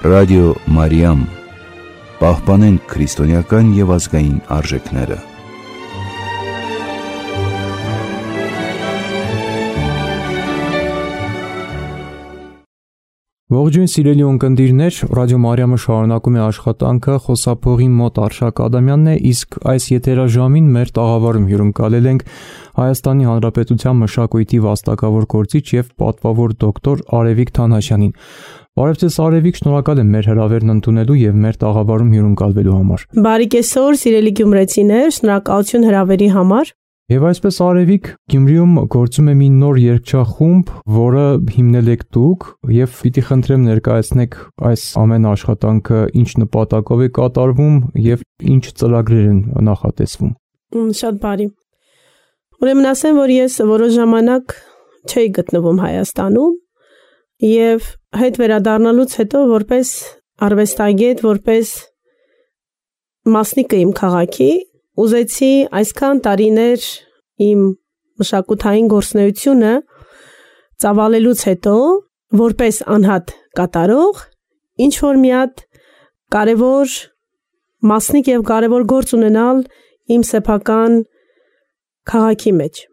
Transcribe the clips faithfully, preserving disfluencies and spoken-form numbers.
Ռադիո Մարիամ, պահպանենք քրիստոնեական և ազգային արժեքները։ Ողջույն սիրելի ունկնդիրներ, Ռադիո Մարիամը շարունակում է աշխատանքը, խոսափողի մոտ Արշակ Ադամյանն է, իսկ այս եթերաժամին մեր տաղավարում հյուրընկալել ենք Հայաստանի Հանրապետության մշակույթի վաստակավոր գործիչ և պատվավոր դոկտոր Արևիկ Թանաշյանին։ Բարև ձեզ Արևիկ, շնորհակալ եմ մեր հրավերն ընդունելու և մեր տաղավարում հյուրընկալվելու համար։ Բարի կեսօր, սիրելի գյումրեցիներ, շնորհակալություն հրավերի համար։ Եվ այսպես Արևիկ, Գյումրիում գործում է մի նոր երգչախումբ, որը հիմնել եք դուք, և պիտի խնդրեմ ներկայացնեք այս ամեն աշխատանքը ինչ նպատակով է կատարվում և ինչ ծրագրեր են նախատեսվում։ Շատ բարի։ Ուրեմն ասեմ, որ ես որոշ ժամանակ չէի գտնվում Հայաստանում և հետ վերադառնալուց հետո որպես արվեստագետ, որպես մասնիկը իմ քաղաքի, ուզեցի այսքան տարիներ իմ մշակութային գործունեությունը ծավալելուց հետո որպես անհատ կատարող ինչ որ մի հատ կարևոր մասնիկ և կարևոր գործ ունենալ իմ սեփական քաղաքի մեջ։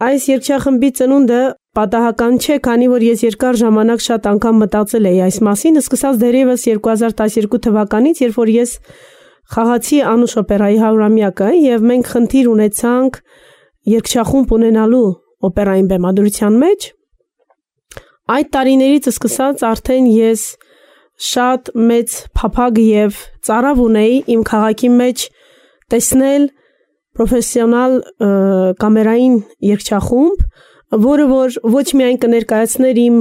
Այս երգչախմբի ծնունդը պատահական չէ, քանի որ ես երկար ժամանակ շատ անգամ մտածել էի այս մասին, սկսած դեռևս երկու հազար տասներկու թվականից, երբ որ ես խաղացի Անուշ օպերայի հարյուրամյակը և մենք խնդիր ունեցանք երգչախումբ ունենալու օպերային բեմադրության մեջ, այդ տարիներից սկսած արդեն ես շատ մեծ փափագ և ծարավ ունեի իմ քաղաքի մեջ տեսնել պրոֆեսիոնալ կամերային երգչախումբ, որը որ ոչ միայն կներկայացներ իմ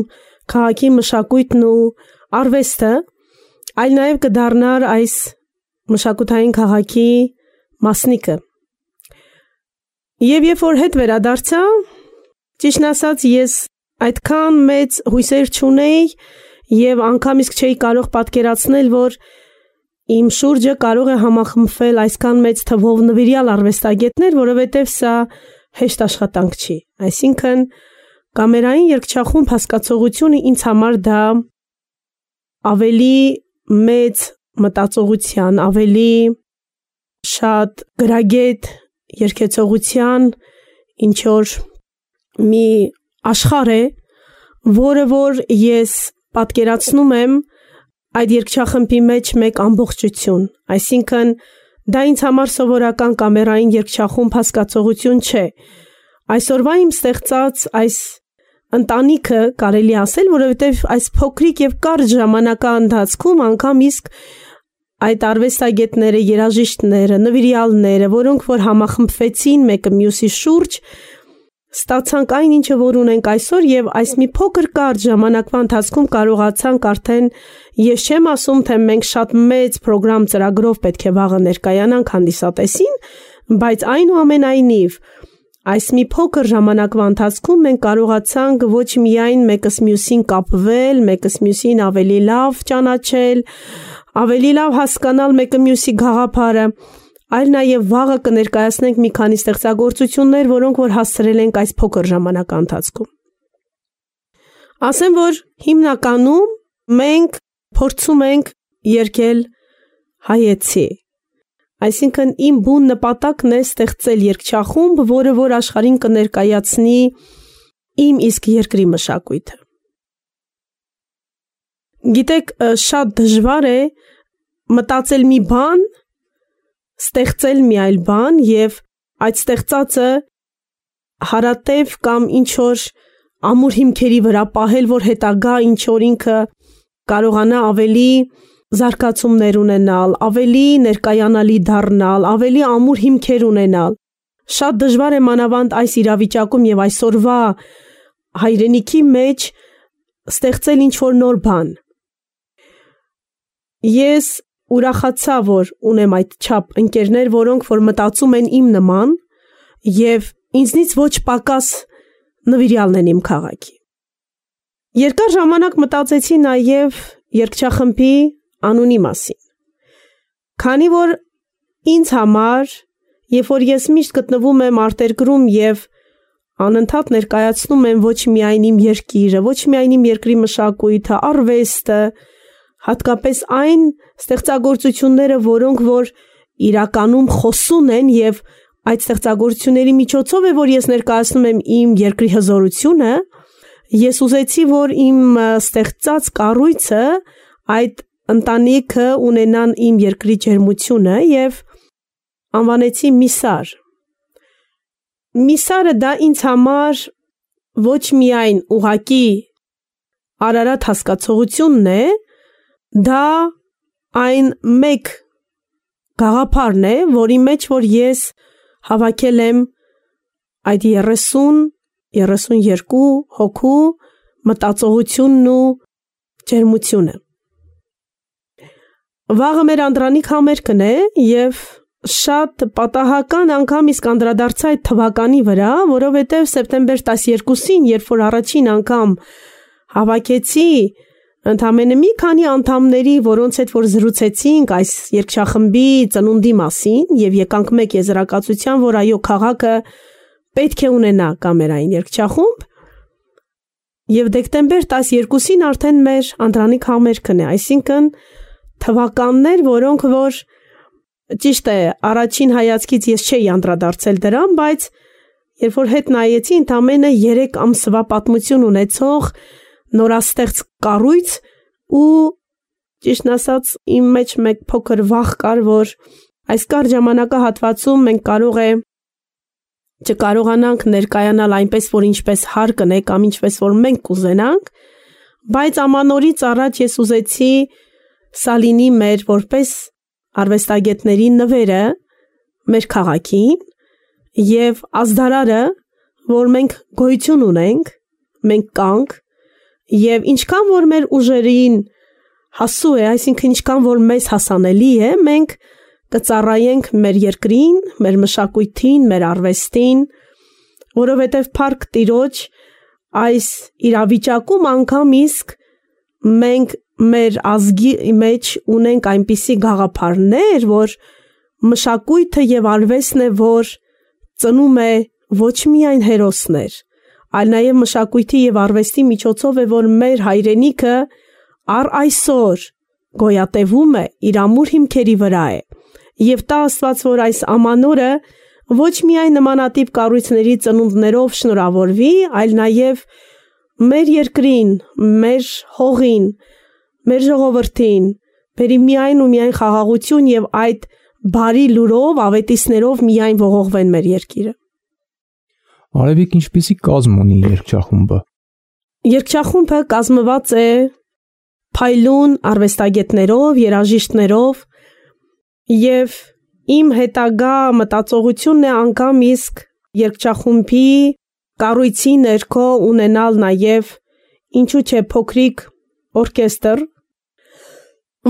քաղաքի մշակույթն ու արվեստը, այլ նաև կդառնար այս մշակութային քաղաքի մասնիկը։ Եվ երբ որ հետ վերադարձա, ճիշտն ասած ես այդքան մեծ հույսեր չունեի և անգամ իսկ չէի կարող պատկերացնել, որ իմ շուրջը կարող է համախմբվել այսքան մեծ թվով նվիրյալ արվեստագետներ, որովհետև սա հեշտ աշխատանք չի։ Այսինքն կամերային երգչախումբ հասկացողությունը ինձ համար դա ավելի մեծ մտածողության, ավելի շատ գրագետ երգեցողության ինչ որ մի աշխարհ է, որը որ ես պատկերացնում եմ այդ երգչախմբի մեջ մեկ ամբողջություն, այսինքն դա ինձ համար սովորական կամերային երգչախումբ հասկացողություն չէ։ Այսօրվա իմ ստեղծած այս ընտանիքը կարելի ասել, որովհետև այս փոքրիկ և կարճ ժամանակա ընթացքում անգամ իսկ այդ արվեստագետները, երաժիշտները, նվիրյալները, որոնք որ համախմբվեցին մեկը մյուսի շուրջ, ստացանք այն ինչը որ ունենք այսօր և այս մի փոքր կարճ ժամանակվա ընթացքում կարողացանք արդեն, ես չեմ ասում, թե մենք շատ մեծ պրոգրամ ծրագրով պետք է վաղը ներկայանանք հանդիսատեսին, բայց այնուամենայնիվ այս մի փոքր ժամանակվա ընթացքում մենք կարողացանք ոչ միայն մեկս մյուսին կապվել, մեկս մյուսին ավելի լավ ճանաչել, ավելի լավ հասկանալ մեկը մյուսի գաղափարը, այլ նաև վաղը կներկայացնենք մի քանի ստեղծագործություններ, որոնք որ հասցրել ենք այս փոքր ժամանակա ընթացքում։ Ասեմ, որ հիմնականում մենք փորձում ենք երգել հայեցի, այսինքն իմ բուն նպատակն է ստեղծել երգչախումբ, որը որ աշխարհին կներկայացնի իմ իսկ երկրի մշակույթը։ Գիտեք, շատ դժվար է մտածել մի բան, ստեղծել մի այլ բան և այդ ստեղծածը հարատև կամ ինչ որ ամուր հիմքերի վրա պահել, որ հետագա ինչ որ ինքը կարողանա ավելի զարգացումներ ունենալ, ավելի ներկայանալի դառնալ, ավելի ամուր հիմքեր ունենալ։ Շատ դժվար է մանավանդ այս իրավիճակում և այսօրվա հայրենիքի մեջ ստեղծել ինչ որ նոր բան։ Ես ուրախացա, որ ունեմ այդ չափ ընկերներ, որոնք որ մտածում են իմ նման և ինձնից ոչ պակաս նվիրյալն են իմ քաղաքի։ Երկար ժամանակ մտածեցի նաև երգչախմբի անունի մասին, քանի որ ինձ համար, երբ որ ես միշտ գտնվում եմ արտերկրում և անընդհատ ներկայացնում եմ ոչ միայն իմ երկիրը, ոչ միայն իմ երկրի մշակույթը, արվեստը, հատկապես այն ստեղծագործությունները, որոնք որ իրականում խոսուն են եւ այդ ստեղծագործությունների միջոցով է, որ ես ներկայացնում եմ իմ երկրի հզորությունը, ես ուզեցի, որ իմ ստեղծած կառույցը այդ ընտանիքը ունենան իմ երկրի ջերմությունը եւ անվանեցի Միսար։ Միսարը դա ինձ համար ոչ միայն ուղակի Արարատ հասկացողությունն է, դա այն մեկ գաղափարն է, որի մեջ որ ես հավաքել եմ այդ երեսուն, երեսունյերկու հոգու մտածողությունն ու ջերմությունը։ Վաղը մեր անդրանիկ համերգն է եւ շատ պատահական անգամ իսկ անդրադարձա այդ թվականի վրա, որովհետեւ սեպտեմբեր տասներկուսին, երբ որ առաջին անգամ հավաքեցի ընդամենը մի քանի անդամների, որոնց հետ որ զրուցեցինք այս երգչախմբի ծնունդի մասին եւ եկանք մեկ եզրակացության, որ այո, քաղաքը պետք է ունենա կամերային երգչախումբ, եւ դեկտեմբեր տասներկուսին արդեն մեր անդրանիկ համերգն է, այսինքն թվականներ, որոնք որ ճիշտ է, առաջին հայացքից ես չէի անդրադարձել դրան, բայց երբ որ հետ նայեցի, ընդամենը երեք ամսվա պատմություն ունեցող նորաստեղծ կառույց ու ճիշտն ասած իմ մեջ մեկ փոքր վախ կար, որ այս կարճ ժամանակահատվածում մենք կարող է չկարողանանք ներկայանալ այնպես, որ ինչպես հարկն է կամ ինչպես որ մենք կուզենանք, բայց ամանորից առաջ ես ուզեցի սալինի մեր որպես արվեստագետների նվերը մեր քաղաքին եւ ազդարարը, որ մենք գոյություն ունենք, մենք կանք եւ ինչքան որ մեր ուժերին հասու է, այսինքն ինչքան որ մեզ հասանելի է, մենք կծառայենք մեր երկրին, մեր մշակույթին, մեր արվեստին, որովհետեւ Փառք Տիրոջ այս իրավիճակում անգամ իսկ մենք մեր ազգի մեջ ունենք այնպիսի գաղափարներ, որ մշակույթը եւ արվեստն է, որ ծնում է ոչ միայն հերոսներ, այլ նաեւ մշակույթի եւ արվեստի միջոցով է, որ մեր հայրենիքը առ այսօր գոյատևում է, իր ամուր հիմքերի վրա է։ Եվ տա Աստված, որ այս ամանորը ոչ միայն նմանատիպ կառույցների ծնունդներով շնորհավորվի, այլ նաեւ մեր երկրին, մեր հողին, մեր ժողովրդին, բերի միայն ու միայն խաղաղություն եւ այդ բարի լուրով, ավետիսներով միայն ողողվեն մեր երկիրը։ Արևիկ ինչպիսի կազմ ունի երգչախումբը։ Երգչախումբը կազմված է փայլուն արվեստագետներով, երաժիշտներով եւ իմ հետագա մտածողությունն է անգամ իսկ երգչախումբի կառույցի ներքո ունենալ նաեւ ինչու՞ չէ փոքրիկ օրկեստր,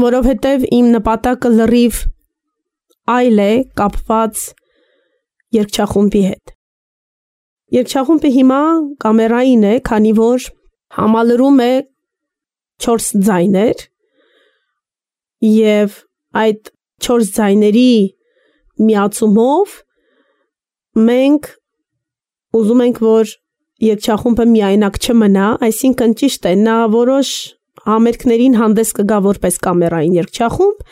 որովհետև իմ նպատակը լրիվ այլ է կապված երգչախումբի հետ։ Երգչախումբը հիմա կամերային է, քանի որ համալրում է չորս ձայներ եւ այդ չորս ձայների միացումով մենք ուզում ենք, որ երգչախումբը միայնակ չմնա, այսինքն ճիշտ է, նա որոշ համերգներին հանդես կգա որպես կամերային երգչախումբ,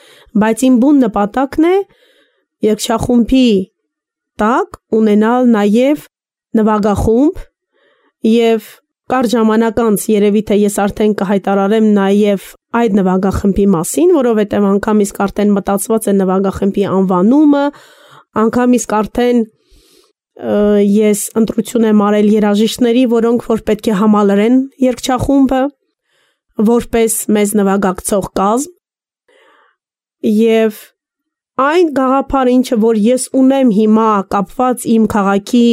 բայց իմ բուն նպատակն է երգչախումբի տակ ունենալ նաև նվագախումբ եւ կարճ ժամանակ անց երևի թե ես արդեն կհայտարարեմ նաև այդ նվագախմբի մասին, որովհետև անգամ իսկ արդեն մտածված է նվագախմբի անվանումը, անգամ իսկ արդեն ես ընտրություն եմ արել երաժիշտների, որոնք որ պետք է համալրեն երգչախումբը որպես մեզ նվագակցող կազմ եւ այն գաղափարը, ինչը որ ես ունեմ հիմա կապված իմ քաղաքի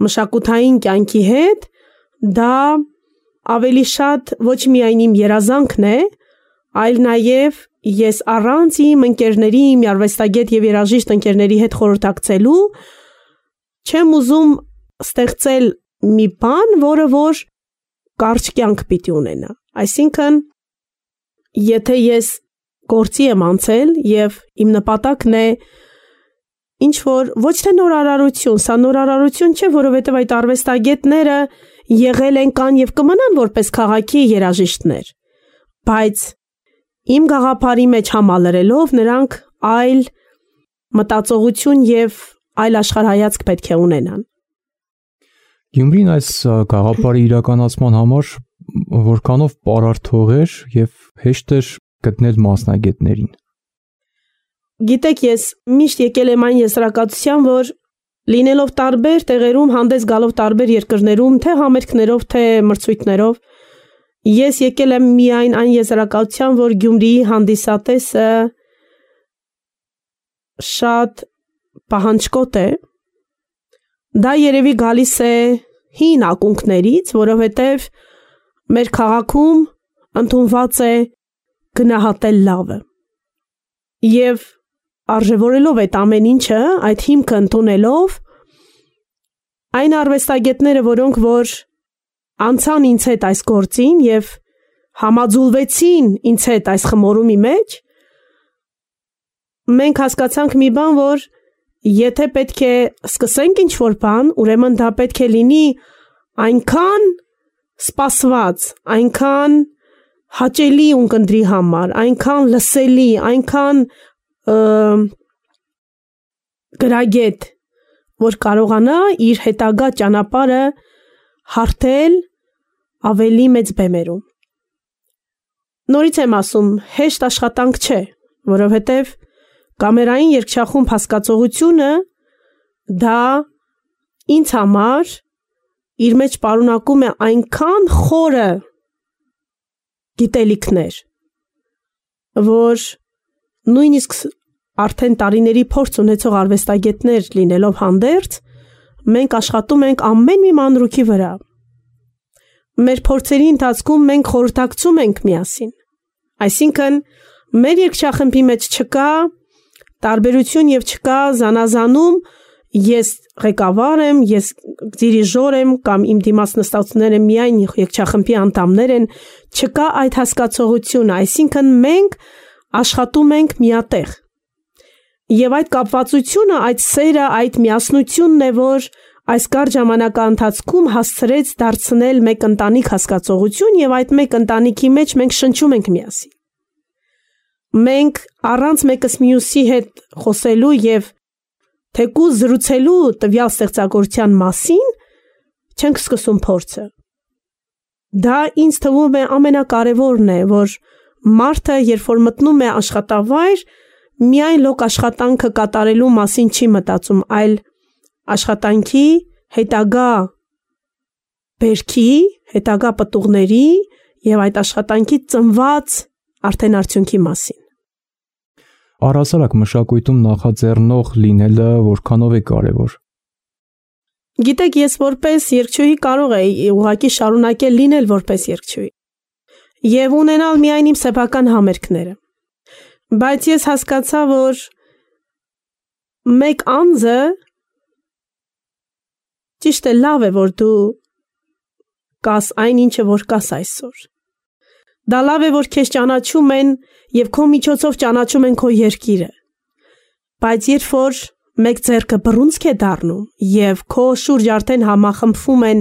մշակութային կյանքի հետ, դա ավելի շատ ոչ միայն իմ երազանքն է, այլ նաև ես առանց իմ ընկերների, իմ արվեստագետ եւ երաժիշտ ընկերների հետ խորհրդակցելու չեմ ուզում ստեղծել մի բան, որը որ կարճ կյանք պիտի ունենա։ Այսինքն, եթե ես գործի եմ անցել եւ իմ նպատակն է ինչ որ ոչ թե նորարարություն, սա նորարարություն չէ, որովհետեւ այդ արվեստագետները եղել են կան եւ կմնան որպես քաղաքի երաժիշտներ, բայց Իմ գաղափարի մեջ համալրելով նրանք այլ մտածողություն եւ այլ աշխարհայացք պետք է ունենան։ Գյումրին այս գաղափարի իրականացման համար որքանով պարարտ էր եւ հեշտ էր գտնել մասնագետներին։ Գիտեք, ես միշտ եկել եմ այն եզրակացության, որ լինելով տարբեր տեղերում, հանդես գալով տարբեր երկրներում, թե համերգներով, թե մրցույթներով, ես եկել եմ միայն այն եզրակացության, որ Գյումրիի հանդիսատեսը շատ պահանջկոտ է։ Դա երևի գալիս է հին ակունքներից, որովհետև մեր քաղաքում ընդունված է գնահատել լավը։ Եվ արժևորելով այդ ամեն ինչը, այդ հիմքը ընդունելով, այն արվեստագետները, որոնք որ անցան ինձ հետ այս գործին եւ համաձուլվեցին ինձ հետ այս խմորումի մեջ, մենք հասկացանք մի բան, որ եթե պետք է սկսենք ինչ-որ բան, ուրեմն դա պետք է լինի այնքան սպասված, այնքան հաճելի ունկնդրի համար, այնքան լսելի, այնքան գրագետ, որ կարողանա իր հետագա ճանապարհը հարթել ավելի մեծ բեմերում։ Նորից եմ ասում, հեշտ աշխատանք չէ, որովհետև կամերային երգչախումբ հասկացողությունը դա ինձ համար իր մեջ պարունակում է այնքան խորը գիտելիքներ, որ նույնիսկ արդեն տարիների փորձ ունեցող արվեստագետներ լինելով հանդերձ, մենք աշխատում ենք ամեն մի մանրուքի վրա։ Մեր փորձերի ընթացքում մենք խորհրդակցում ենք միասին։ Այսինքն, մեր երգչախմբի մեջ չկա տարբերություն եւ չկա զանազանում, ես ղեկավար եմ, ես դիրիժոր եմ կամ իմ դիմաց նստածները միայն երգչախմբի անդամներ են, չկա այդ հասկացողությունը, այսինքն մենք աշխատում ենք միատեղ։ Եվ այդ կապվածությունը, այդ սերը, այդ միասնությունն է, որ այս կարճ ժամանակահատվածում հասցրեց դարձնել մեկ ընտանիք հասկացողություն եւ այդ մեկ ընտանիքի մեջ մենք շնչում ենք միասին։ Մենք առանց մեկս մյուսի հետ խոսելու եւ թեկուզ զրուցելու տվյալ ստեղծագործության մասին չենք սկսում փորձը։ Դա ինձ թվում է ամենակարևորն է, որ մարդը, երբ որ մտնում է աշխատավայր, միայն լոկ աշխատանքը կատարելու մասին չի մտածում, այլ աշխատանքի հետագա բերքի, հետագա պտուղների եւ այդ աշխատանքի ծնված արդեն արդյունքի մասին։ Առհասարակ մշակույթում նախաձեռնող լինելը որքանով է կարևոր։ Գիտեք, ես որպես երգչուհի կարող եի ուղղակի շարունակել լինել որպես երգչուհի եւ ունենալ միայն իմ սեփական համերգները։ Բայց ես հասկացա, որ մեկ անձը ճիշտ է, լավ է, որ դու կաս այն ինչը որ կաս այսօր։ Դա լավ է, որ քեզ ճանաչում են եւ քո միջոցով ճանաչում են քո երկիրը։ Բայց երբ որ մեկ ձեռքը բռունցք է դառնում եւ քո շուրջ արդեն համախմբվում են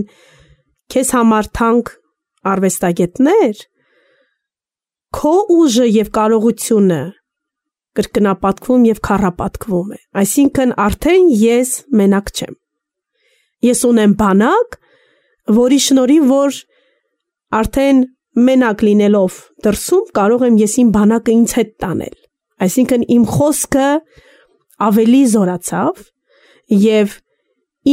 քեզ համար թանկ արվեստագետներ, քո ուժը եւ կարողությունը կրկնապատկվում եւ քառապատկվում է։ Այսինքն արդեն ես մենակ չեմ։ Ես ունեմ բանակ, որի շնորհիվ որ արդեն մենակ լինելով դրսում կարող եմ ես իմ բանակը ինձ հետ տանել։ Այսինքն իմ խոսքը ավելի զորացավ եւ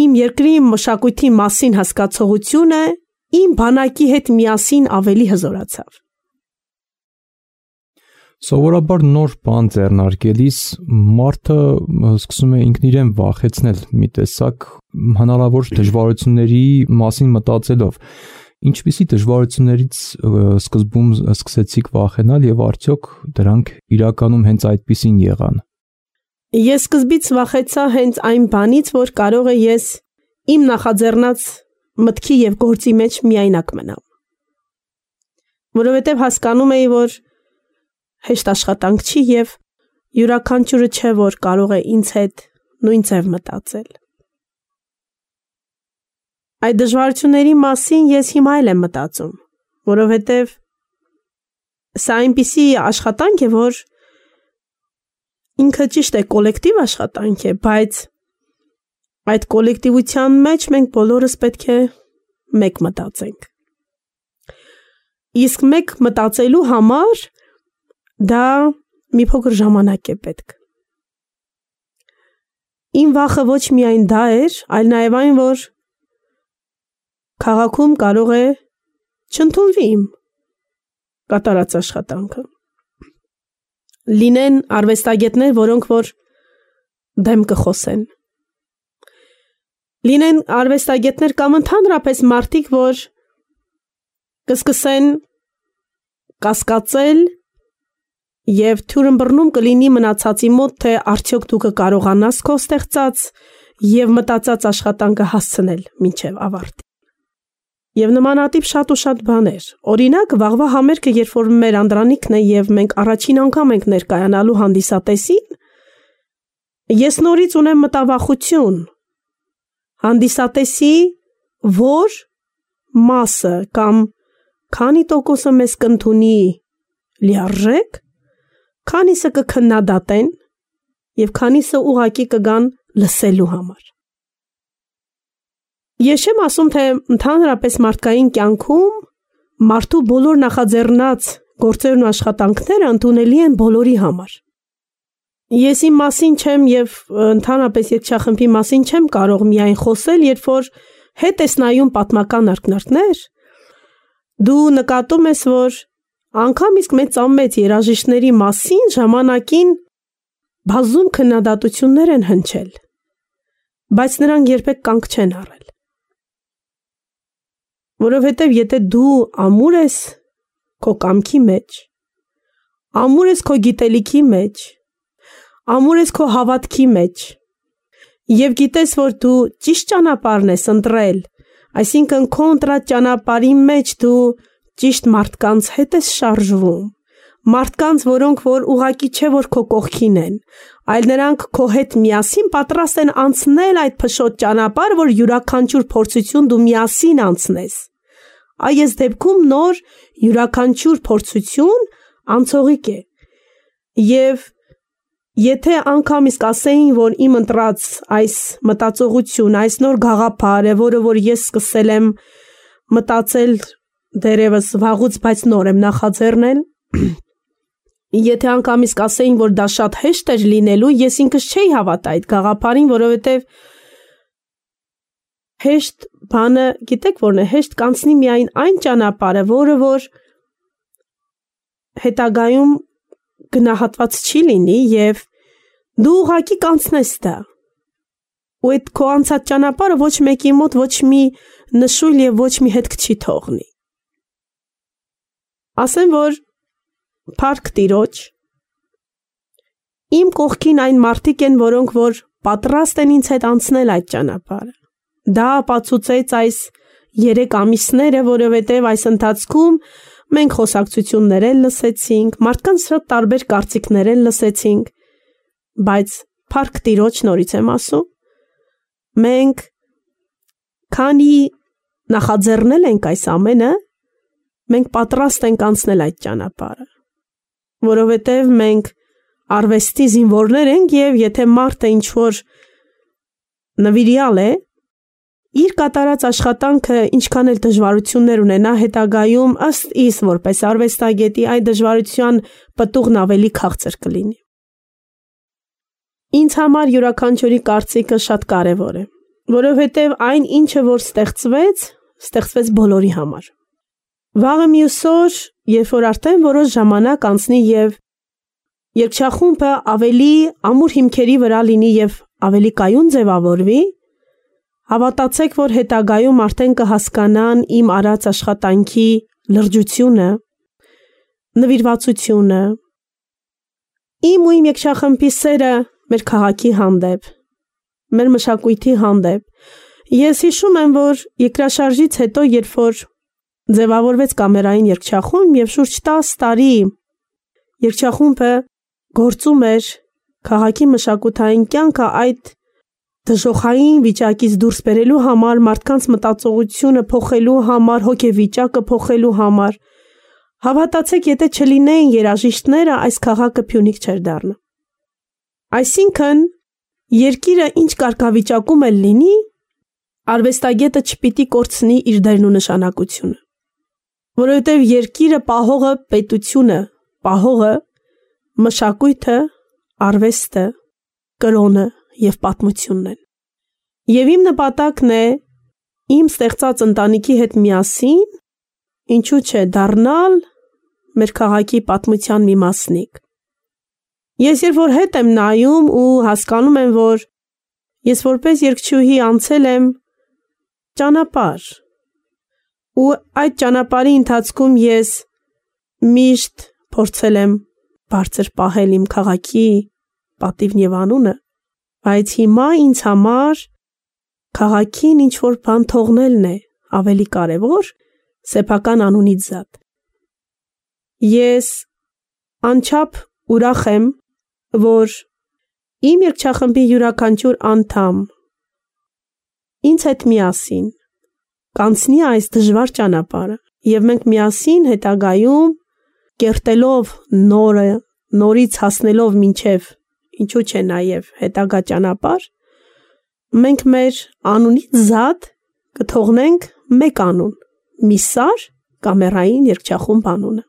իմ երկրի մշակույթի մասին հասկացողությունը իմ բանակի հետ միասին ավելի հզորացավ։ Սովորաբար նոր բան ձեռնարկելիս մարդը սկսում է ինքն իրեն վախեցնել մի տեսակ հնարավոր դժվարությունների մասին մտածելով։ Ինչպիսի դժվարություններից սկզբում սկսեցիք վախենալ եւ արդյոք դրանք իրականում հենց այդպիսին եղան։ Ես սկզբից վախեցա հենց այն բանից, որ կարող է ես իմ նախաձեռնած մտքի եւ գործի մեջ միայնակ մնամ։ Որովհետեւ հասկանում էի, որ հեշտ աշխատանք չի եւ յուրաքանչյուրը չէ, որ կարող է ինձ հետ նույն ձև մտածել։ Այդ դժվարությունների մասին ես հիմա էլ եմ մտածում, որովհետև Սա այնպիսի աշխատանք է, որ ինքը ճիշտ է կոլեկտիվ աշխատանք է, բայց այդ կոլեկտիվության մեջ մենք բոլորս պետք է մեկ մտածենք։ Իսկ մեկ մտածելու համար դա մի փոքր ժամանակ է պետք։ Իմ վախը ոչ միայն դա էր, այլ նաև այն, որ քաղաքում կարող է չընդունվի իմ կատարած աշխատանքը։ Լինեն արվեստագետներ, որոնք որ դեմ կխոսեն։ Լինեն արվեստագետներ կամ ընդհանրապես մարդիկ, որ կսկսեն կասկածել եւ թյուրըմբռնում կլինի մնացածի մոտ, թե արդյոք դու կկարողանաս քո ստեղծած եւ մտածած աշխատանքը հասցնել մինչեւ ավարտի։ Եվ նմանատիպ շատ ու շատ բաներ։ Օրինակ, վաղվա համերգը, երբ որ մեր անդրանիկն է եւ մենք առաջին անգամ ենք ներկայանալու հանդիսատեսին, ես նորից ունեմ մտավախություն։ Հանդիսատեսի որ մասը կամ քանի տոկոսը մեզ կընդունի լիարժեք, քանիսը կքննադատեն եւ քանիսը ուղակի կգան լսելու համար։ Ես չեմ ասում, թե ընդհանրապես մարդկային կյանքում մարդու բոլոր նախաձեռնած գործերն ու աշխատանքները ընդունելի են բոլորի համար։ Ես իմ մասին չեմ եւ ընդհանրապես երգչախմբի մասին չեմ կարող միայն խոսել, երբ որ հետ ես նայում պատմական ակնարկներ, դու նկատում ես, որ անգամ իսկ մեծամեծ երաժիշտների մասին ժամանակին բազում քննադատություններ են հնչել, բայց նրանք երբեք կանգ չեն առել։ Որովհետև եթե դու ամուր ես քո կամքի մեջ, ամուր ես քո գիտելիքի մեջ, ամուր ես քո հավատքի մեջ, եւ գիտես, որ դու ճիշտ ճանապարհն ես ընտրել, այսինքն քո ընտրած ճանապարհի մեջ դու ճիշտ մարդկանց հետ ես շարժվում, մարդկանց, որոնք որ ուղակի չէ որ քո կողքին են, այլ նրանք քո հետ միասին պատրաստ են անցնել այդ փշոտ ճանապարհը, որ յուրաքանչյուր փորձություն դու միասին անցնես։ Այս դեպքում նոր յուրաքանչյուր փորձություն անցողիկ է։ Եվ եթե անգամ իսկ ասեին, որ իմ ընտրած այս մտածողություն, այս նոր գաղափար է, որը որ ես սկսել եմ մտածել դերևս վաղուց, բայց նոր եմ նախաձեռնել, եթե անգամ իսկ ասեին, որ դա շատ հեշտ էր լինելու, ես ինքս չէի հավատա այդ գաղափարին, որովհետև հեշտ բանը, գիտեք որն է, հեշտ կանցնի միայն այն ճանապարհը, որը որ հետագայում գնահատված չի լինի եւ դու ուղակի կանցնես դա։ Ու այդ քո անցած ճանապարհը ոչ մեկի մոտ ոչ մի նշույլ եւ ոչ մի հետք չի թողնի։ Ասեմ, որ Փառք Տիրոջ, իմ կողքին այն մարդիկ են, որոնք որ պատրաստ են ինձ հետ անցնել այդ ճանապարհը։ Դա ապացուցեց այս երեք ամիսները, որովհետև այս ընթացքում մենք խոսակցություններ էլ լսեցինք, մարդկանց շատ տարբեր կարծիքներ էլ լսեցինք, բայց Փառք Տիրոջ, նորից եմ ասում, մենք քանի նախաձեռնել ենք այս ամենը, մենք պատրաստ ենք անցնել այդ ճանապարհը, որովհետև մենք արվեստի զինվորներ ենք եւ եթե մարդը ինչ-որ նվիրյալ է, իր կատարած աշխատանքը ինչքան էլ դժվարություններ ունենա հետագայում ըստ իս որպես արվեստագետի այդ դժվարության պտուղն ավելի քաղցր կլինի։ Ինձ համար յուրաքանչյուրի կարծիքը շատ կարևոր է, որովհետև այն ինչը որ ստեղծվեց, ստեղծվեց բոլորի համար։ Վաղը մյուս օր, երբ որ արդեն որոշ ժամանակ անցնի եւ երգչախումբը ավելի ամուր հիմքերի վրա լինի եւ ավելի կայուն ձևավորվի, հավատացեք, որ հետագայում արդեն կհասկանան իմ արած աշխատանքի լրջությունը, նվիրվածությունը, իմ ու իմ երգչախմբի սերը մեր քաղաքի հանդեպ, մեր մշակույթի հանդեպ։ Ես հիշում եմ, որ երկրաշարժից հետո, երբ որ ձևավորվեց կամերային երգչախումբ եւ շուրջ տասը տարի երգչախումբը գործում էր քաղաքի մշակութային կյանքը այդ դժոխային վիճակից դուրս բերելու համար, մարդկանց մտածողությունը փոխելու համար, հոգեվիճակը փոխելու համար, Հավատացեք, եթե չլինեին երաժիշտները, այս քաղաքը Փյունիկ չէր դառնա։ Այսինքն, երկիրը ինչ կարգավիճակում էլ լինի, արվեստագետը չպիտի կորցնի իր դերն ու նշանակությունը։ Որովհետև երկիրը պահողը պետությունը, պահողը մշակույթը, արվեստը, կրոնը և պատմությունն են։ Եվ իմ նպատակն է իմ ստեղծած ընտանիքի հետ միասին, ինչու չէ, դառնալ մեր քաղաքի պատմության մի մասնիկ։ Ես երբ որ հետ եմ նայում ու հասկանում եմ, որ ես որպես երգչուհի անցել եմ ճանապարհ, ու այդ ճանապարհի ընթացքում ես միշտ փորձել եմ բարձր պահել իմ քաղաքի պատիվն և անունը, բայց հիմա ինձ համար քաղաքին ինչ-որ բան թողնելն է ավելի կարևոր սեփական անունից զատ։ Ես անչափ ուրախ եմ, որ իմ երգչախմբի յուրաքանչյուր անդամ ինձ հետ միասին կանցնի այս դժվար ճանապարհը և մենք միասին հետագայում կերտելով նորը, նորից հասնելով մինչև, ինչու չէ նաև հետագա ճանապարհ, մենք մեր անունից զատ կթողնենք մեկ անուն, Միսար կամերային երգչախումբ անունը։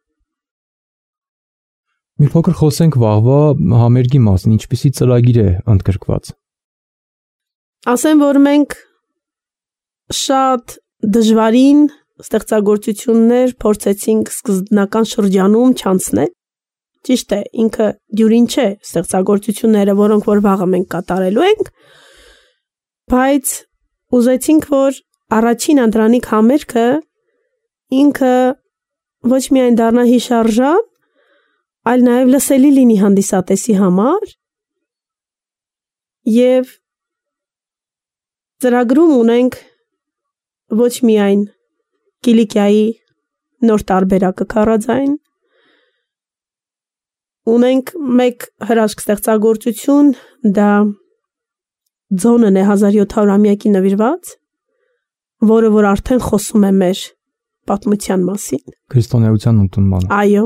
Մի փոքր խոսենք վաղվա համերգի մասին, ինչպիսի ծրագիր է ընդգրկված։ Ասեմ, որ մենք շատ դժվարին ստեղծագործություններ փորձեցինք սկզբնական շրջանում չանցնել։ Ճիշտ է, ինքը դյուրին չէ ստեղծագործությունները, որոնք որ վաղը մենք կատարելու ենք, բայց ուզեցինք, որ առաջին անդրանիկ համերգը ինքը ոչ միայն դառնա հիշարժան, այլ նաև լսելի լինի հանդիսատեսի համար և ծրագրում ունենք ոչ միայն Կիլիկիայի նոր տարբերակը քարաձայն, ունենք մեկ հրաշք ստեղծագործություն, դա ձոնն է հազար յոթ հարյուրամյակի նվիրված, որը որ արդեն խոսում է մեր պատմության մասին։ Քրիստոնեության ընդունմանը։ Այո,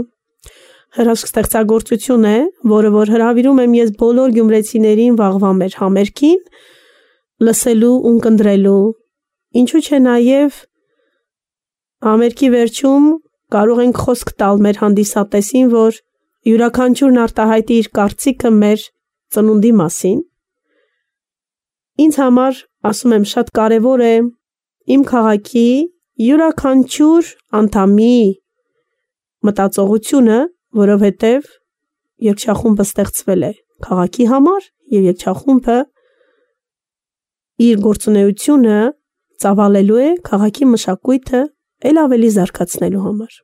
հրաշք ստեղծագործություն է, որը որ հրավիրում եմ ես բոլոր գյումրեցիներին վաղվա մեր համերգին, լսելու ու ընկնդրելու, ինչու չէ նաև համերգի վերջում կարող ենք խոսք տալ մեր հանդիսատեսին, որ յուրաքանչյուրն արտահայտի իր կարծիքը մեր ծնունդի մասին։ Ինձ համար, ասում եմ, շատ կարևոր է իմ քաղաքի յուրաքանչյուր անդամի մտածողությունը, որովհետև երգչախումբը ստեղծվել է քաղաքի համար և երգչախումբը իր գործունեությունը ծավալելու է քաղաքի մշակույթը էլ ավելի զարգացնելու համար։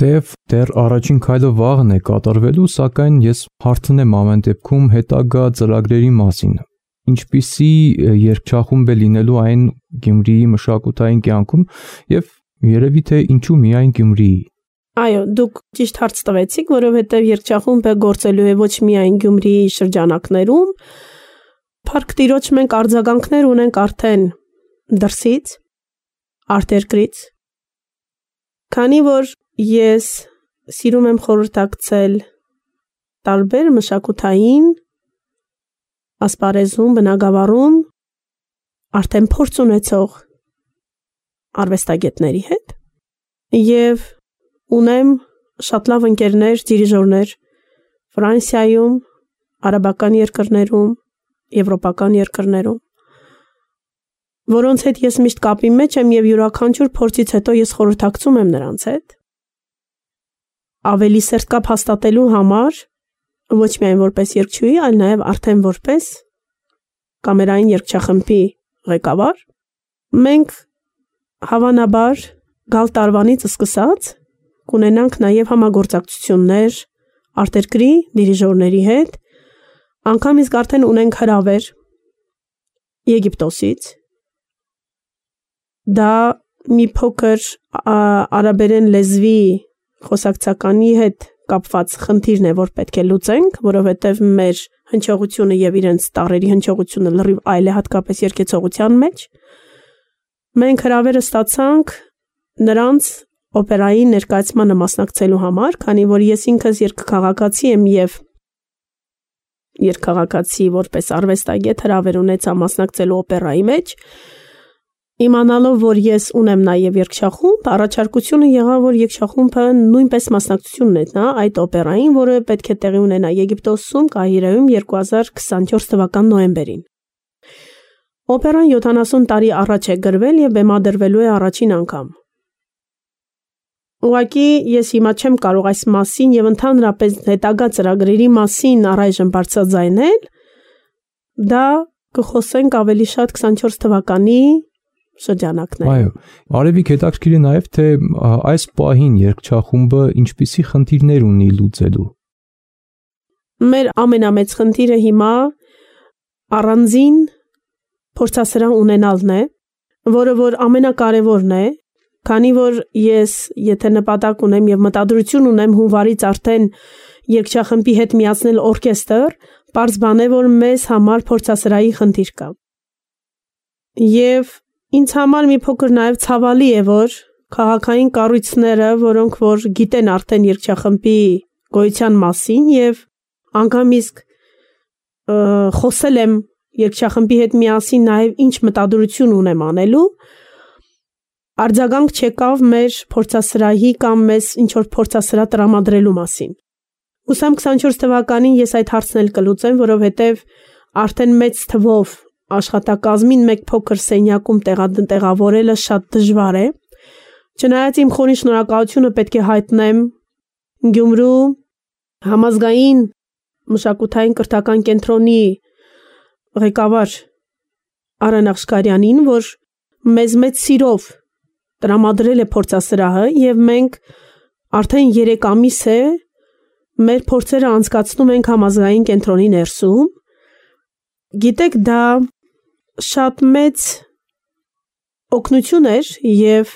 Թեև դեռ առաջին քայլը վաղն է կատարվելու, սակայն ես հարցնեմ ամեն դեպքում հետագա ծրագրերի մասին։ Ինչպիսի երգչախումբ է լինելու այն Գյումրիի մշակութային կյանքում և երևի թե ինչու միայն Գյումրիի։ Այո, դուք ճիշտ հարց տվեցիք, որովհետև երգչախումբը գործելու է ոչ միայն Գյումրիի շրջանակներում, Փառք Տիրոջ մենք արձագանքներ ունենք արդեն դրսից, արտերկրից, քանի որ ես սիրում եմ խորհրդակցել տարբեր մշակութային ասպարեզում, բնագավառում արդեն փորձ ունեցող արվեստագետների հետ և ունեմ շատ լավ ընկերներ, դիրիժորներ Ֆրանսիայում, արաբական երկրներում, եվրոպական երկրներում, որոնց հետ ես միշտ կապի մեջ եմ և յուրաքանչյուր փորձից հետո ես խորհրդակցում եմ նրանց հետ, ավելի սերտ կապ հաստատելու համար, ոչ միայն որպես երգչուհի, այլ նաև արդեն որպես կամերային երգչախմբի ղեկավար, մենք հավանաբար գալ տարվանից սկսած կունենանք նաև համագործակցություններ արտերկրի դիրիժորների հետ, անգամ իսկ արդեն ունենք հրավեր Եգիպտոսից, դա մի փոքր արաբերեն լեզվի խոսակցականի հետ կապված խնդիրն է, որ պետք է լուծենք, որովհետև մեր հնչողությունը և իրենց տառերի հնչողությունը լրիվ այլ է, հատկապես երգեցողության մեջ։ Մենք հրավերը ստացանք նրանց օպերայի ներկայացմանը մասնակցելու համար, քանի որ ես ինքս երկքաղաքացի եմ եւ երկքաղաքացի որպես արվեստագետ հրավեր ունեցա մասնակցելու օպերայի մեջ, իմանալով, որ ես ունեմ նաև երգչախումբ, առաջարկությունը եղավ, որ երգչախումբը նույնպես մասնակցություն ունենա այդ օպերային, որը պետք է տեղի ունենա Եգիպտոսում, Կահիրայում երկու հազար քսաներորդ թվական նոյեմբերին։ Օպերան յոթանասուն տարի առաջ է գրվել եւ բեմադրվելու է առաջին անգամ։ Ուղղակի ես հիմա չեմ կարող այս մասին եւ ընդհանրապես հետագա ծրագրերի մասին առայժմ բարձրաձայնել, դա կխոսենք ավելի շատ քսաներորդ թվականի շրջանակներ։ Այո, Արևիկ, հետաքրքիր է նաև, թե այս պահին երգչախումբը ինչպիսի խնդիրներ ունի լուծելու։ Մեր ամենամեծ խնդիրը հիմա առանձին փորձասրահ ունենալն է, որը որ ամենակարևորն է, քանի որ ես, եթե նպատակ ունեմ եւ մտադրություն ունեմ հունվարից արդեն երգչախմբի հետ միացնել օրկեստր, պարզ բան է, որ մեզ համար փորձասրահի խնդիր կա։ Եվ ինձ համար մի փոքր նաև ցավալի է, որ քաղաքային կառույցները, որոնք որ գիտեն արդեն երգչախմբի գոյության մասին եւ անգամ իսկ խոսել եմ երգչախմբի հետ միասին նաև ինչ մտադրություն ունեմ անելու, արձագանք չեկավ մեր փորձասրահի կամ մեզ ինչ որ փորձասրահ տրամադրելու մասին։ Ուսամ քսաներորդ թվականին ես այդ հարցն էլ կլուծեմ, որովհետեւ արդեն մեծ թվով աշխատակազմին մեկ փոքր սենյակում տեղավորելը շատ դժվար է։ Չնայած իմ խորին շնորհակալությունը պետք է հայտնեմ Գյումրու համազգային մշակութային կրթական կենտրոնի ղեկավար Արեն Աղշկարյանին, որ մեզ մեծ սիրով տրամադրել է փորձասրահը եւ մենք արդեն երեք ամիս է մեր փորձերը անցկացնում ենք համազգային կենտրոնի ներսում։ Գիտեք, դա շատ մեծ օգնություն էր եւ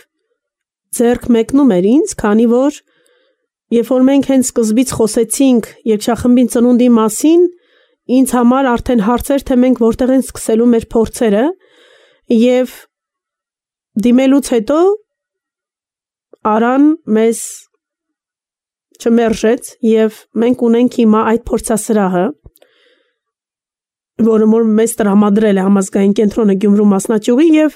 ձեռք մեկնում էր ինձ, քանի որ երբ որ մենք հենց սկզբից խոսեցինք երգչախմբին ծնունդի մասին, ինձ համար արդեն հարցեր, թե մենք որտեղ են սկսելու մեր փորձերը եւ դիմելուց հետո Արան մեզ չմերժեց եւ մենք ունենք հիմա այդ փորձասրահը, որը որ մեզ տրամադրել է համազգային կենտրոնը Գյումրու մասնաճյուղի եւ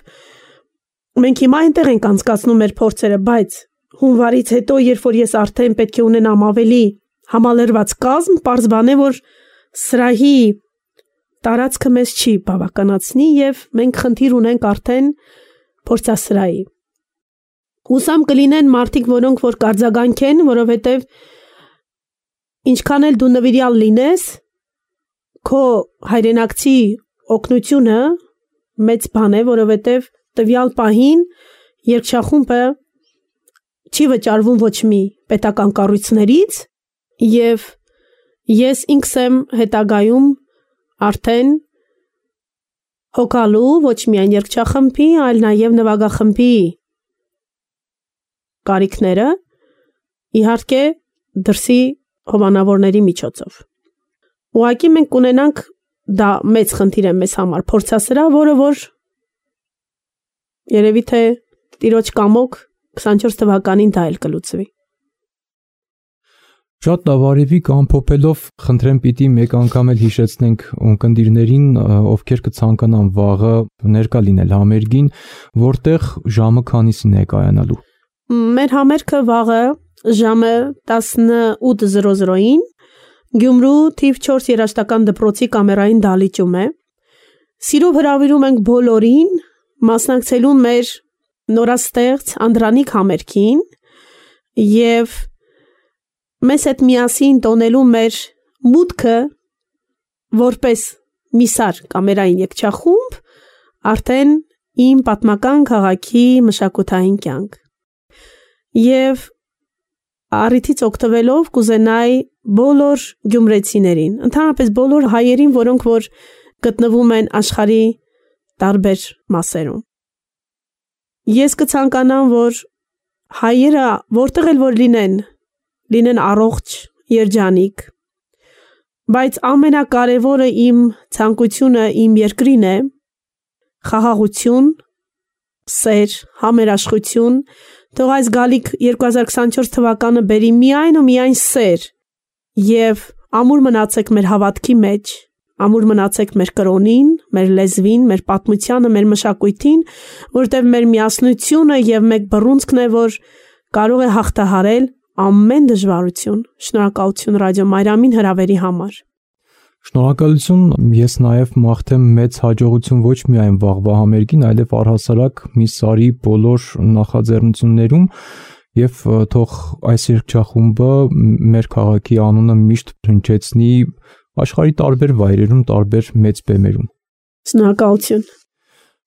մենք հիմա այնտեղ ենք անցկացնում մեր փորձերը, բայց հունվարից հետո, երբ որ ես արդեն պետք է ունենամ ավելի համալրված կազմ, պարզ բան է, որ սրահի տարածքը մեզ չի բավականացնի եւ մենք խնդիր ունենք արդեն փորձասրահի։ Հուսամ կլինեն մարդիկ, որոնք որ կարձագանքեն, որովհետեւ ինչքան էլ դու նվիրյալ լինես, քո հայրենակցի օգնությունը մեծ բան է, որովհետև տվյալ պահին երգչախումբը չի վճարվում ոչ մի պետական կառույցներից եւ ես ինքս եմ հետագայում արդեն հոգալու ոչ միայն երգչախմբի, այլ նաեւ նվագախմբի կարիքները, իհարկե դրսի հովանավորների միջոցով։ Ուղղակի մենք կունենանք, դա մեծ խնդիր է մեզ համար, փորձասրահ, որը որ երևի թե տիրոջ կամոք քսաներորդ թվականին դա էլ կլուծվի։ Շատ լավ, Արևիկ, ամփոփելով խնդրեմ պիտի մեկ անգամ էլ հիշեցնենք ունկնդիրներին, ովքեր կցանկանան վաղը ներկա լինել համերգին, որտեղ ժամը քանիսին է կայանալու։ Մեր համերգը վաղը ժամը տասնութ զրո զրոին Գյումրու թիվ չորս երաժշտական դպրոցի կամերային դահլիճում է։ Սիրով հրավիրում ենք բոլորին մասնակցելու մեր նորաստեղծ Անդրանիկ համերգին եւ մեզ հետ միասին տոնելու մեր մուտքը որպես միսար կամերային երգչախումբ արդեն իմ պատմական քաղաքի մշակութային կյանք։ Եվ առիթից օգտվելով կուզենայի բոլոր գյումրեցիներին, ընդհանրապես բոլոր հայերին, որոնք որ գտնվում են աշխարհի տարբեր մասերում։ Ես կցանկանամ, որ հայերը որտեղ էլ որ լինեն, լինեն առողջ, երջանիկ, բայց ամենակարևորը իմ ցանկությունը իմ երկրին է խաղաղություն, սեր, համերաշխություն, Թող այս գալիք երկու հազար քսանչորս թվականը բերի միայն ու միայն սեր եւ ամուր մնացեք մեր հավատքի մեջ, ամուր մնացեք մեր կրոնին, մեր լեզվին, մեր պատմությանը, մեր մշակույթին, որտեղ մեր միասնությունը եւ մեկ բռունցքն է, որ կարող է հաղթահարել ամեն դժվարություն։ Շնորհակալություն Ռադիո Մարիամին հրավերի համար։ Շնորհակալություն, ես նաև մաղթեմ մեծ հաջողություն ոչ միայն վաղվա համերգին, այլև առհասարակ մի սարի բոլոր նախաձեռնություններում եւ թող այս երգչախումբը մեր քաղաքի անունը միշտ հնչեցնի աշխարհի տարբեր վայրերում, տարբեր մեծ բեմերում։ Շնորհակալություն։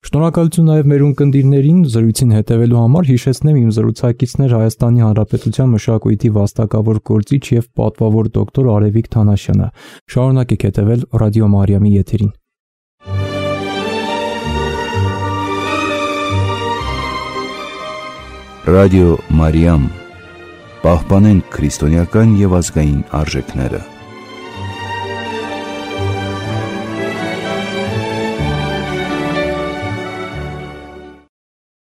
Շնորհակալություն նաև մեր ունկնդիրներին զրույցին հետևելու համար, հիշեցնեմ իմ զրուցակիցներ Հայաստանի Հանրապետության մշակույթի վաստակավոր գործիչ եւ պատվավոր դոկտոր Արևիկ Թանաշյանը։ Շարունակեք հետևել Ռադիո Մարիամի եթերին։ Ռադիո Մարիամ, պահպանենք քրիստոնեական եւ ազգային արժեքները։